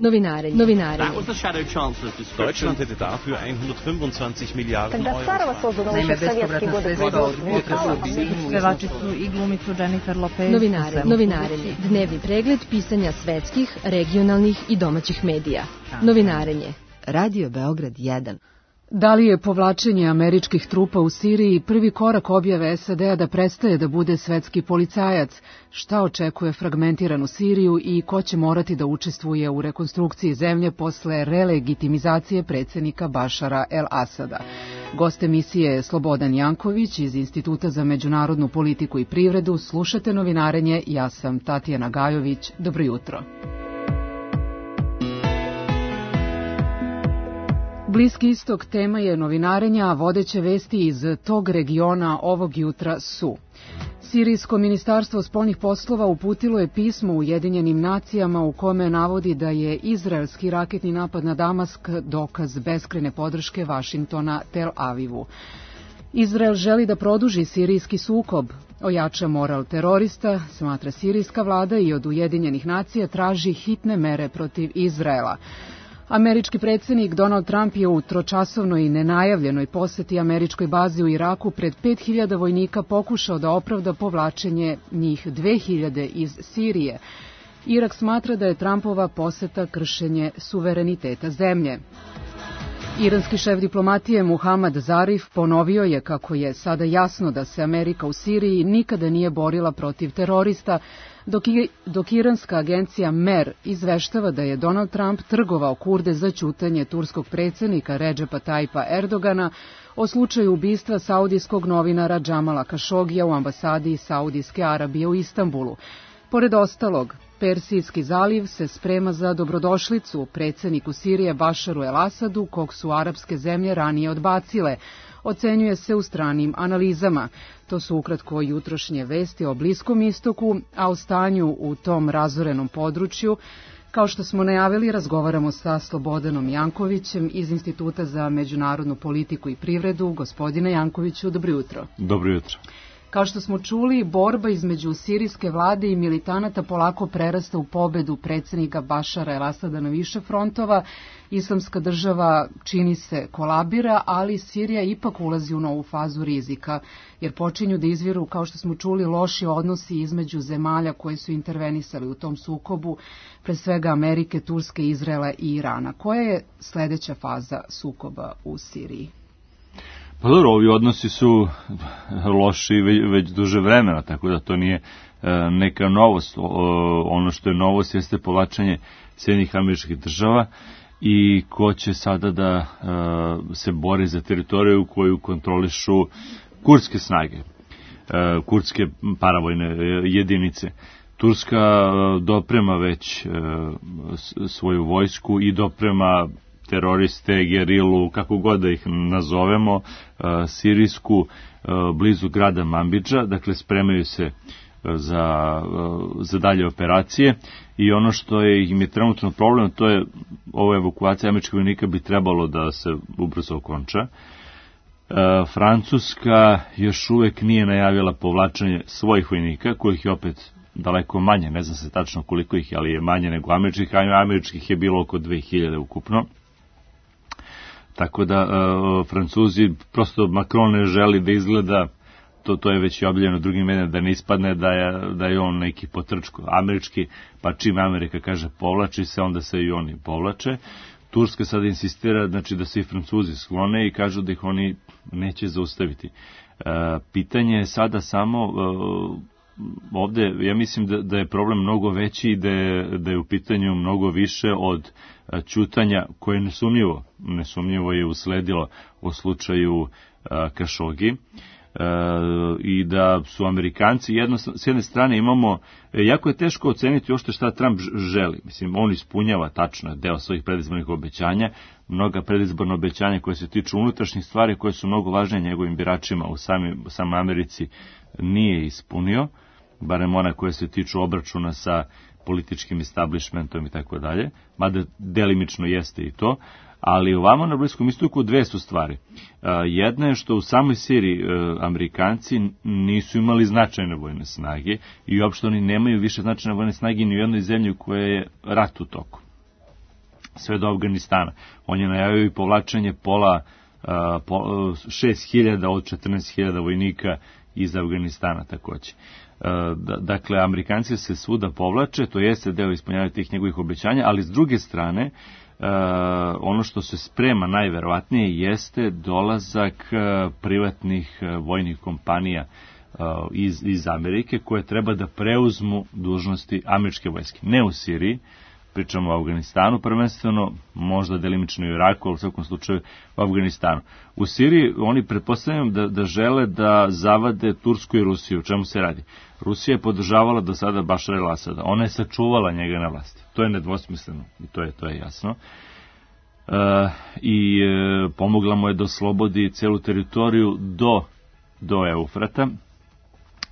Novinarenje. Deutschland hätte dafür 125 Miliarden Euro. Naime, bespovratna sredstva od budžeta su obezbeđena. Pevačicu i glumicu Jennifer Lopez. Novinarenje. Dnevni pregled pisanja svetskih, regionalnih i domaćih medija. Novinarenje. Radio Beograd 1. Da li je povlačenje američkih trupa u Siriji prvi korak objave SAD-a da prestaje da bude svetski policajac? Šta očekuje fragmentiranu Siriju i ko će morati da učestvuje u rekonstrukciji zemlje posle relegitimizacije predsjednika Bašara el-Asada? Gost emisije je Slobodan Janković iz Instituta za međunarodnu politiku i privredu. Slušate Novinarenje, ja sam Tatjana Gajović. Dobro jutro. Bliski istok tema je novinarenja, a vodeće vesti iz tog regiona ovog jutra su: Sirijsko ministarstvo spoljnih poslova uputilo je pismo Ujedinjenim nacijama u kome navodi da je izraelski raketni napad na Damask dokaz beskrajne podrške Vašingtona Tel Avivu. Izrael želi da produži sirijski sukob, ojača moral terorista, smatra sirijska vlada, i od Ujedinjenih nacija traži hitne mere protiv Izraela. Američki predsjednik Donald Trump je u tročasovnoj i nenajavljenoj poseti američkoj bazi u Iraku pred 5000 vojnika pokušao da opravda povlačenje njih 2000 iz Sirije. Irak smatra da je Trumpova poseta kršenje suvereniteta zemlje. Iranski šef diplomatije Muhammad Zarif ponovio je kako je sada jasno da se Amerika u Siriji nikada nije borila protiv terorista, dok iranska agencija MER izveštava da je Donald Trump trgovao Kurde za ćutanje turskog predsjednika Redžepa Tajpa Erdogana o slučaju ubistva saudijskog novinara Džamala Kašogija u ambasadi Saudijske Arabije u Istanbulu. Pored ostalog, Persijski zaliv se sprema za dobrodošlicu predsjedniku Sirije Bašaru el-Asadu, kog su arapske zemlje ranije odbacile, ocenjuje se u stranim analizama. To su ukratko jutrošnje vesti o Bliskom istoku, a o stanju u tom razorenom području, kao što smo najavili, razgovaramo sa Slobodanom Jankovićem iz Instituta za međunarodnu politiku i privredu. Gospodine Jankoviću, dobro jutro. Dobro jutro. Kao što smo čuli, borba između sirijske vlade i militanata polako prerasta u pobedu predsjednika Bašara el-Asada na više frontova. Islamska država čini se kolabira, ali Sirija ipak ulazi u novu fazu rizika, jer počinju da izviru, kao što smo čuli, loši odnosi između zemalja koje su intervenisali u tom sukobu, pre svega Amerike, Turske, Izraela i Irana. Koja je sledeća faza sukoba u Siriji? Pa dobro, ovi odnosi su loši već duže vremena, tako da to nije neka novost. Ono što je novost jeste povlačenje Sjedinjenih Američkih Država i ko će sada da se bori za teritoriju koju kontrolišu kurdske snage, kurdske paravojne jedinice. Turska doprema već svoju vojsku i doprema teroriste, gerilu, kako god da ih nazovemo, sirijsku, blizu grada Manbidža, dakle spremaju se za dalje operacije i ono što im je trenutno problem, to je ova evakuacija američkih vojnika bi trebalo da se ubrzo okonča. Francuska još uvek nije najavila povlačenje svojih vojnika, kojih je opet daleko manje, ne znam se tačno koliko ih je, ali je manje nego američkih, a američkih je bilo oko 2000 ukupno. Tako da Francuzi, prosto Macron ne želi da izgleda, to je već i objavljeno drugim medijima, da ne ispadne da je on neki potrčko američki, pa čim Amerika kaže povlači se, onda se i oni povlače. Turska sada insistira, znači, da se i Francuzi sklone i kažu da ih oni neće zaustaviti. Pitanje je sada samo, ovde ja mislim da je problem mnogo veći i da je u pitanju mnogo više od ćutanja koje nesumnjivo je usledilo u slučaju Kašogi, i da su Amerikanci, s jedne strane imamo, jako je teško oceniti uopšte šta Trump želi. Mislim, on ispunjava tačno deo svojih predizbornih obećanja, mnoga predizborna obećanja koje se tiču unutrašnjih stvari, koje su mnogo važnije njegovim biračima u samoj Americi, nije ispunio, barem ona koje se tiču obračuna sa političkim establishmentom i tako dalje, mada delimično jeste i to, ali ovamo na Bliskom istoku dve su stvari. Jedna je što u samoj Siriji Amerikanci nisu imali značajne vojne snage i uopšte oni nemaju više značajne vojne snage ni u jednoj zemlji u kojoj je rat u toku. sve do Afganistana. On je najavio i povlačenje 6.000 od 14.000 vojnika iz Afganistana takođe. Dakle, Amerikanci se svuda povlače, to jeste deo ispunjavanja tih njegovih obećanja, ali s druge strane, ono što se sprema najverovatnije jeste dolazak privatnih vojnih kompanija iz Amerike koje treba da preuzmu dužnosti američke vojske. Ne u Siriji, pričamo o Afganistanu prvenstveno, možda delimično i u Iraku, ali u svakom slučaju u Afganistanu. U Siriji oni pretpostavljam da žele da zavade Tursku i Rusiju. O čemu se radi? Rusija je podržavala do sada Bašara el-Asada. Ona je sačuvala njega na vlasti. To je nedvosmisleno i to je jasno. Pomogla mu je da oslobodi celu teritoriju do Eufrata,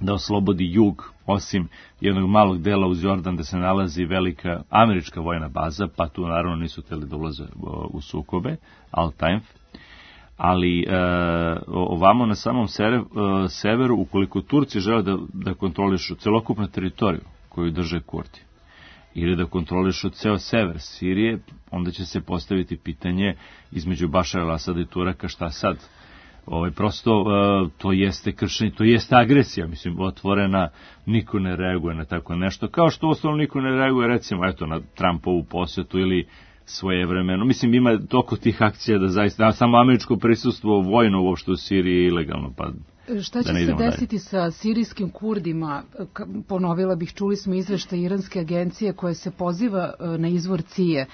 da oslobodi jug, osim jednog malog dela uz Jordan gde se nalazi velika američka vojna baza, pa tu naravno nisu hteli da ulaze u sukobe, Al-Taif. Ali ovamo na samom severu, ukoliko Turci žele da kontrolišu celokupnu teritoriju koju drže Kurdi, ili da kontrolišu ceo sever Sirije, onda će se postaviti pitanje između Bašara el-Asada i Turaka šta sad. Prosto to jeste kršenje, to jeste agresija, mislim, otvorena, niko ne reaguje na tako nešto, kao što osnovno niko ne reaguje, recimo, na Trumpovu posetu ili svojevremeno. Mislim, ima toliko tih akcija da zaista, samo američko prisustvo vojno uopšte u Siriji je ilegalno, pa šta će se desiti sa sirijskim Kurdima? Ponovila bih, čuli smo izveštaj iranske agencije koja se poziva na izvor CIA,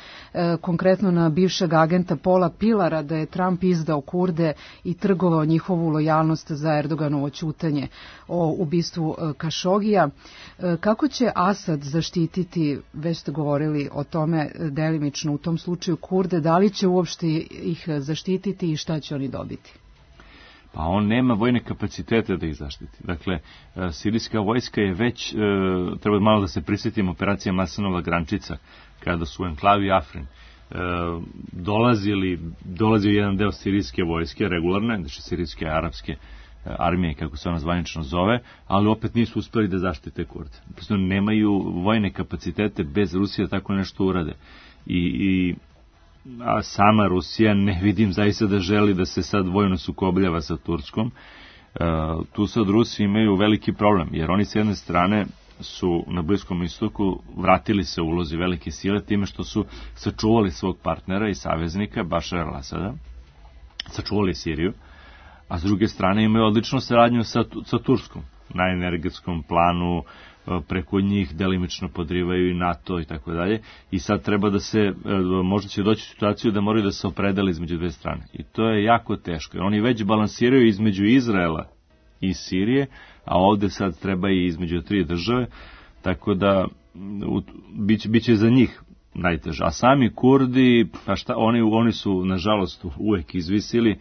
konkretno na bivšeg agenta Paula Pilara, da je Trump izdao Kurde i trgovao njihovu lojalnost za Erdoganovo ćutanje o ubistvu Kašogija. Kako će Asad zaštititi, već ste govorili o tome delimično u tom slučaju, Kurde, da li će uopšte ih zaštititi i šta će oni dobiti? Pa on nema vojne kapacitete da ih zaštiti. Dakle, sirijska vojska je već, treba malo da se prisjetimo operacija Masenova Grančica, kada su u enklavi Afrin dolazio jedan deo sirijske vojske, regularne, znači sirijske arapske armije, kako se ona zvanično zove, ali opet nisu uspeli da zaštite Kurde. Prosto nemaju vojne kapacitete bez Rusije da tako nešto urade. A sama Rusija ne vidim zaista da želi da se sad vojno sukobljava sa Turskom. Tu sad Rusi imaju veliki problem, jer oni s jedne strane su na Bliskom istoku vratili se u ulozi velike sile time što su sačuvali svog partnera i saveznika Bašara el-Asada, sačuvali Siriju, a s druge strane imaju odličnu saradnju sa Turskom na energetskom planu, preko njih delimično podrivaju i NATO i tako dalje, i sad treba da se, možda će doći u situaciju da moraju da se opredele između dve strane. I to je jako teško, jer oni već balansiraju između Izraela i Sirije, a ovde sad treba i između tri države, tako da bit će za njih najteže. A sami Kurdi, pa šta, oni su nažalost uvek izvisili,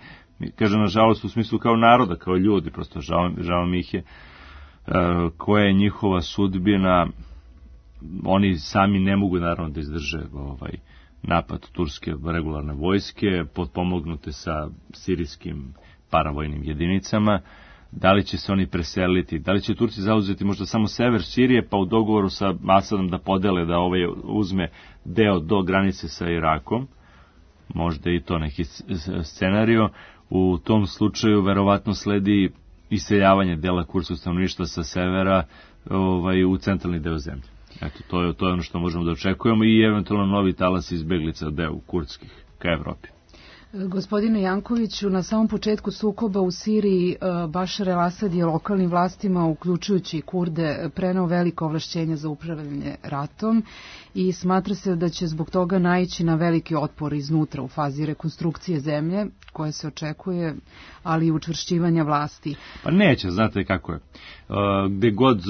kažem nažalost u smislu kao naroda, kao ljudi, prosto žao mi ih je, koja je njihova sudbina. Oni sami ne mogu naravno da izdrže napad turske regularne vojske, potpomognute sa sirijskim paravojnim jedinicama. Da li će se oni preseliti, da li će Turci zauzeti možda samo sever Sirije, pa u dogovoru sa Asadom da podele, da uzme deo do granice sa Irakom, možda i to neki scenario. U tom slučaju verovatno sledi iseljavanje dela kurdskog stanovništva sa severa u centralni deo zemlje. Eto, to je ono što možemo da očekujemo, i eventualno novi talas izbeglica deo kurdskih ka Evropi. Gospodine Jankoviću, na samom početku sukoba u Siriji Bašar el-Asad je lokalnim vlastima, uključujući Kurde, preneo veliko ovlašćenje za upravljanje ratom i smatra se da će zbog toga naići na veliki otpor iznutra u fazi rekonstrukcije zemlje, koje se očekuje, ali i učvršćivanja vlasti. Pa neće, znate kako je. Gde god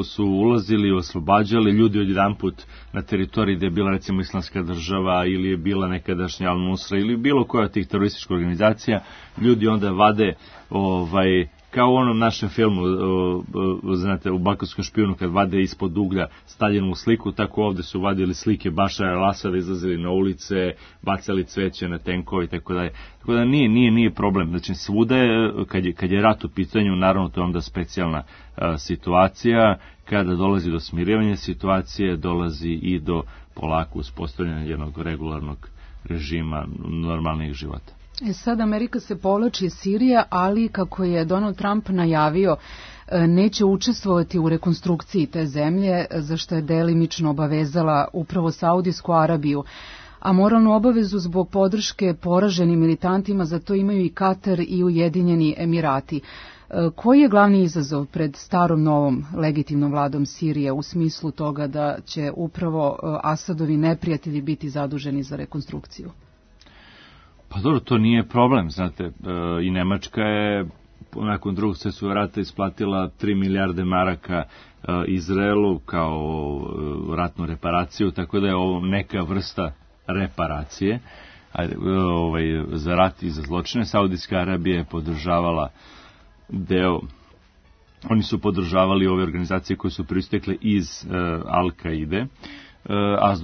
su ulazili, oslobađali ljudi odjedanput na teritoriji gde je bila recimo Islamska država ili je bila nekadašnja Al-Nusra ili bilo koja od tih terorističkih organizacija, ljudi onda vade kao u onom našem filmu, znate, u Balkanskom špijunu, kad vade ispod uglja Staljinovu sliku, tako ovde su vadili slike Bašara el-Asada, izlazili na ulice, bacali cveće na tenkove i tako dalje. Tako da nije problem. Znači, svuda je, kad je rat u pitanju, naravno to je onda specijalna situacija. Kada dolazi do smirivanja situacije, dolazi i do polako uspostavljanje jednog regularnog režima normalnih života. Sad Amerika se povlači iz Sirije, ali kako je Donald Trump najavio, neće učestvovati u rekonstrukciji te zemlje, za što je delimično obavezala upravo Saudijsku Arabiju. A moralnu obavezu zbog podrške poraženim militantima za to imaju i Katar i Ujedinjeni Emirati. Koji je glavni izazov pred starom novom legitimnom vladom Sirije u smislu toga da će upravo Asadovi neprijatelji biti zaduženi za rekonstrukciju? Pa dobro, to nije problem, znate, i Nemačka je nakon drugog svjetskog rata isplatila 3 milijarde maraka Izraelu kao ratnu reparaciju, tako da je ovo neka vrsta reparacije za rat i za zločine. Saudijska Arabija je podržavala oni su podržavali ove organizacije koje su pristekle iz Al-Kaide, a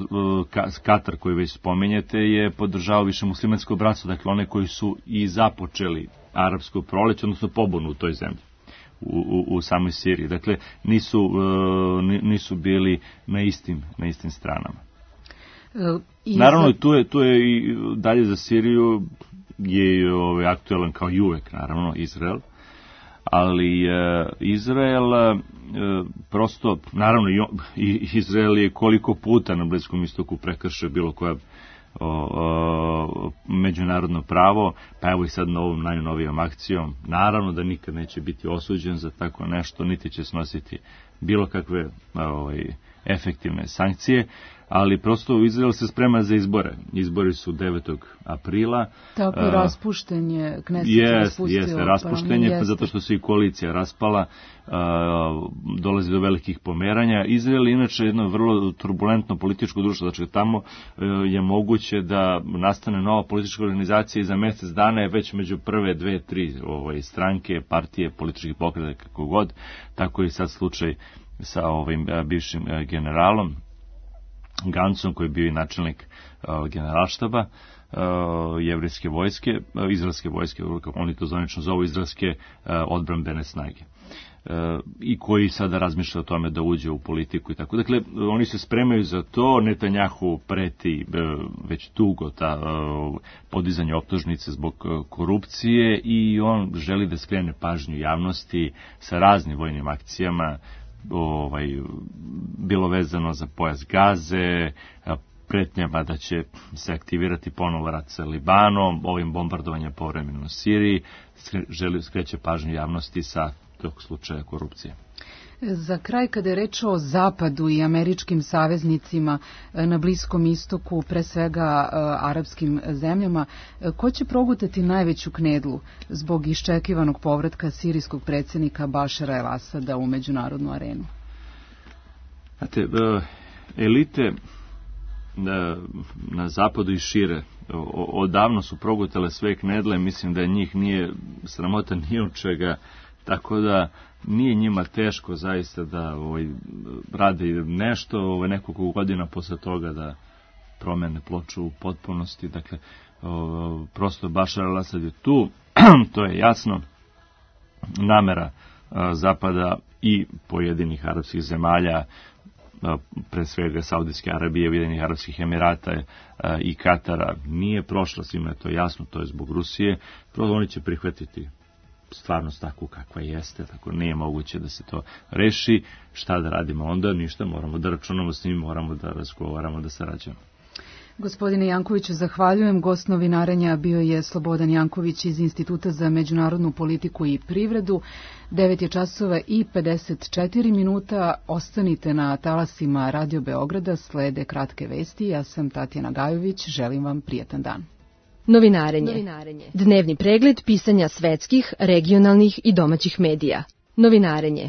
Katar, koji već spomenjete, je podržavao više muslimansko bratstvo, dakle one koji su i započeli arapsko proleće, odnosno pobunu u toj zemlji, u samoj Siriji. Dakle, nisu bili na istim stranama. Naravno, tu je i dalje za Siriju je aktualan kao i uvek, naravno, Izrael, ali Izrael prosto, naravno i Izrael je koliko puta na Bliskom istoku prekršio bilo koja međunarodno pravo, pa evo i sad ovom najnovijom akcijom, naravno da nikad neće biti osuđen za tako nešto, niti će snositi bilo kakve efektivne sankcije, ali prosto Izrael se sprema za izbore. Izbori su 9. aprila. Tako je raspušten je, Kneset Jeste, raspušten je, zato što se i koalicija raspala, dolazi do velikih pomeranja. Izrael je inače jedno vrlo turbulentno političko društvo, znači tamo je moguće da nastane nova politička organizacija i za mjesec dana je već među prve 2-3 stranke, partije, političkih pokreta, kako god, tako je sad slučaj sa ovim bivšim generalom Gancom, koji je bio i načelnik generalštaba jevrijske vojske, izraelske vojske, oni to zvanično zovu izraelske odbrambene snage, i koji sada razmišlja o tome da uđe u politiku i tako. Dakle, oni se spremaju za to, Netanjahu preti već dugo podizanje optužnice zbog korupcije i on želi da skrene pažnju javnosti sa raznim vojnim akcijama, bilo vezano za pojas Gaze, pretnjama da će se aktivirati ponovo rat sa Libanom, ovim bombardovanjem povremeno u Siriji, skreće pažnju javnosti sa tog slučaja korupcije. Za kraj, kada je reč o Zapadu i američkim saveznicima na Bliskom istoku, pre svega arapskim zemljama, ko će progutati najveću knedlu zbog iščekivanog povratka sirijskog predsjednika Bašara el-Asada u međunarodnu arenu? Znate, elite na zapadu i šire odavno su progutale sve knedle, mislim da njih nije sramota ni od čega, tako da nije njima teško zaista da rade nešto nekoliko godina posle toga da promene ploču u potpunosti. Dakle, prosto Bašar al-Asad je tu, to je jasno. Namera Zapada i pojedinih arapskih zemalja, pre svega Saudijske Arabije, Ujedinjenih Arapskih Emirata i Katara, nije prošla, svima je to jasno, to je zbog Rusije. Prosto oni će prihvatiti stvarnost takvu kakva jeste, tako nije moguće da se to reši. Šta da radimo onda? Ništa, moramo da računamo s njim, moramo da razgovaramo, da sarađujemo. Gospodine Jankoviću, zahvaljujem. Gost novinarenja bio je Slobodan Janković iz Instituta za međunarodnu politiku i privredu. 9:54. Ostanite na talasima Radio Beograda, slede kratke vesti. Ja sam Tatjana Gajović, želim vam prijatan dan. Novinarenje. Dnevni pregled pisanja svetskih, regionalnih i domaćih medija. Novinarenje.